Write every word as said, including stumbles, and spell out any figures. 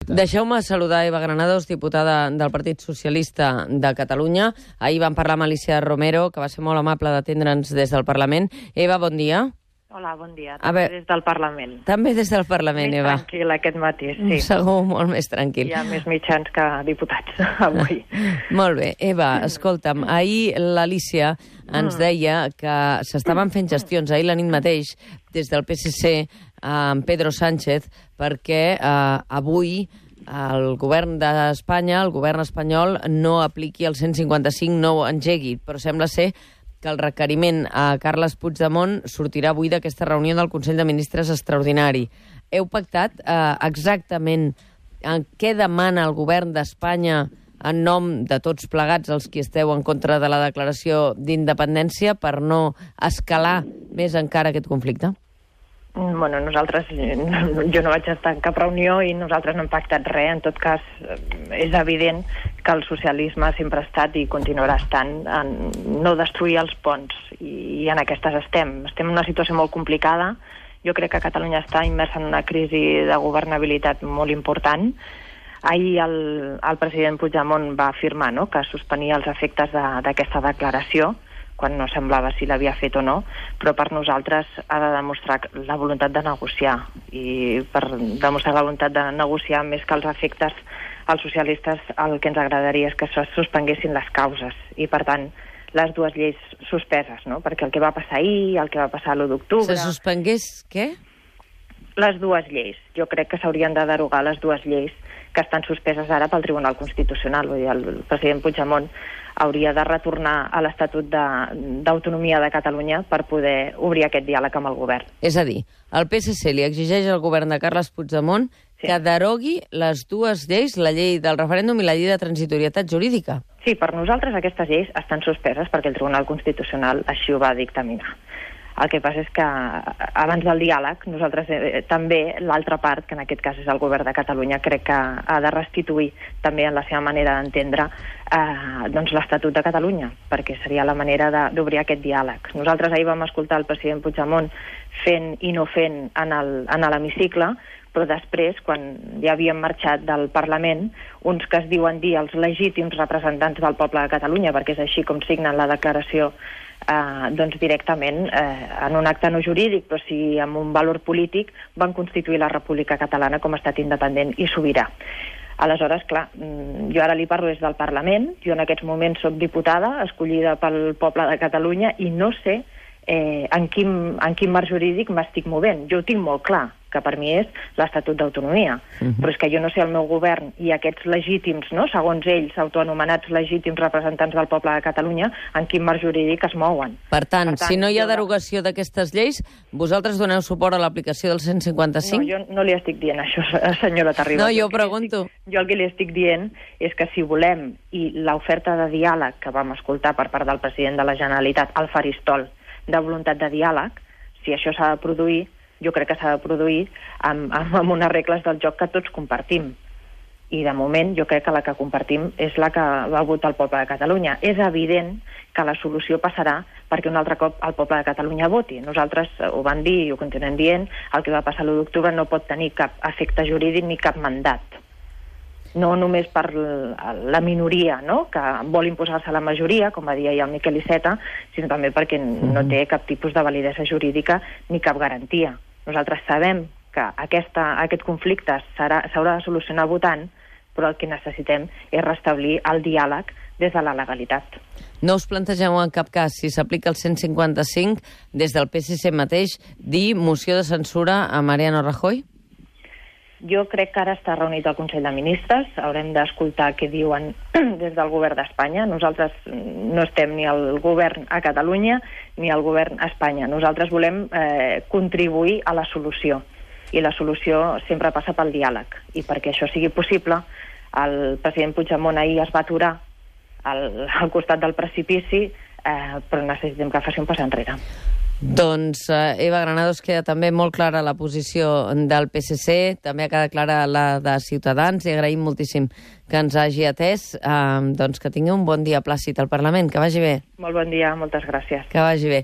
Deixeu-me saludar Eva Granados, diputada del Partit Socialista de Catalunya. Ahir vam parlar amb Alicia Romero, que va ser molt amable d'atendre'ns des del Parlament. Eva, bon dia. Hola, bon dia. També veure, des del Parlament. També des del Parlament, més Eva. Més tranquil aquest matí, sí. Segur, molt més tranquil. Hi ha més mitjans que diputats avui. Molt bé. Eva, escolta'm, ahir l'Alicia ens mm. deia que s'estaven fent gestions ahir la nit mateix des del P S C amb Pedro Sánchez perquè eh, avui el govern d'Espanya, el govern espanyol, no apliqui el cent cinquanta-cinc, no ho engegui, però sembla ser que el requeriment a Carles Puigdemont sortirà avui d'aquesta reunió del Consell de Ministres extraordinari. Heu pactat eh, exactament en què demana el govern d'Espanya en nom de tots plegats els qui esteu en contra de la declaració d'independència per no escalar més encara aquest conflicte? Bueno, nosaltres, jo no vaig estar en cap reunió i nosaltres no hem pactat res. En tot cas, és evident que el socialisme sempre ha estat i continuarà estant en no destruir els ponts. I en aquestes estem. Estem en una situació molt complicada. Jo crec que Catalunya està immersa en una crisi de governabilitat molt important. Ahir el, el president Puigdemont va afirmar, no?, que suspenia els efectes d'aquesta de, declaració, quan no semblava si l'havia fet o no, però per nosaltres ha de demostrar la voluntat de negociar. I per demostrar la voluntat de negociar, més que els efectes, als socialistes el que ens agradaria és que se suspenguessin les causes. I, per tant, les dues lleis suspeses, no? Perquè el que va passar ahir, el que va passar l'u d'octubre... Se suspengués què? Les dues lleis. Jo crec que s'haurien de derogar les dues lleis que estan suspeses ara pel Tribunal Constitucional. Vull dir, el president Puigdemont hauria de retornar a l'Estatut d'Autonomia de, de Catalunya per poder obrir aquest diàleg amb el govern. És a dir, el P S C li exigeix al govern de Carles Puigdemont sí. que derogui les dues lleis, la llei del referèndum i la llei de transitorietat jurídica. Sí, per nosaltres aquestes lleis estan suspeses perquè el Tribunal Constitucional així ho va dictaminar. El que passa és que abans del diàleg, nosaltres eh, també, l'altra part, que en aquest cas és el govern de Catalunya, crec que ha de restituir també en la seva manera d'entendre eh, doncs l'Estatut de Catalunya, perquè seria la manera d'obrir aquest diàleg. Nosaltres ahir vam escoltar el president Puigdemont fent i no fent en l'hemicicle, però després, quan ja havíem marxat del Parlament, uns que es diuen dir els legítims representants del poble de Catalunya, perquè és així com signen la declaració Eh, doncs directament eh, en un acte no jurídic, però sí amb un valor polític, van constituir la República Catalana com a estat independent i sobirà. Aleshores, clar, jo ara li parlo des del Parlament, jo en aquests moments soc diputada, escollida pel poble de Catalunya, i no sé eh, en, quin, en quin marc jurídic m'estic movent. Jo ho tinc molt clar, que per mi és l'Estatut d'Autonomia. Uh-huh. Però és que jo no sé el meu govern i aquests legítims, no?, segons ells, autoanomenats legítims representants del poble de Catalunya, en quin marc jurídic es mouen. Per tant, per tant si no hi ha derogació d'aquestes lleis, vosaltres doneu suport a l'aplicació del cent cinquanta-cinc? No, jo no li estic dient això, senyora Terribas. No, jo pregunto. Estic, jo el que li estic dient és que si volem, i l'oferta de diàleg que vam escoltar per part del president de la Generalitat al faristol de voluntat de diàleg, si això s'ha de produir, jo crec que s'ha de produir amb, amb unes regles del joc que tots compartim. I de moment jo crec que la que compartim és la que va votar el poble de Catalunya. És evident que la solució passarà perquè un altre cop el poble de Catalunya voti. Nosaltres ho vam dir i ho continuem dient, el que va passar l'u d'octubre no pot tenir cap efecte jurídic ni cap mandat. No només per la minoria, no?, que vol imposar-se a la majoria, com va dir ahir el Miquel Iceta, sinó també perquè no té cap tipus de validesa jurídica ni cap garantia. Nosaltres sabem que aquesta, aquest conflicte s'haurà de solucionar votant, però el que necessitem és restablir el diàleg des de la legalitat. No us plantegeu en cap cas, si s'aplica el cent cinquanta-cinc, des del P S C mateix, dir moció de censura a Mariano Rajoy? Jo crec que ara està reunit el Consell de Ministres, haurem d'escoltar què diuen des del govern d'Espanya. Nosaltres no estem ni al govern a Catalunya ni al govern a Espanya. Nosaltres volem eh, contribuir a la solució, i la solució sempre passa pel diàleg. I perquè això sigui possible, el president Puigdemont ahir es va aturar al, al costat del precipici, eh, però necessitem que faci un pas enrere. Doncs eh, Eva Granados, queda també molt clara la posició del P S C, també ha quedat clara la de Ciutadans, i agraïm moltíssim que ens hagi atès. Eh, doncs que tingui un bon dia plàcid al Parlament, que vagi bé. Molt bon dia, moltes gràcies. Que vagi bé.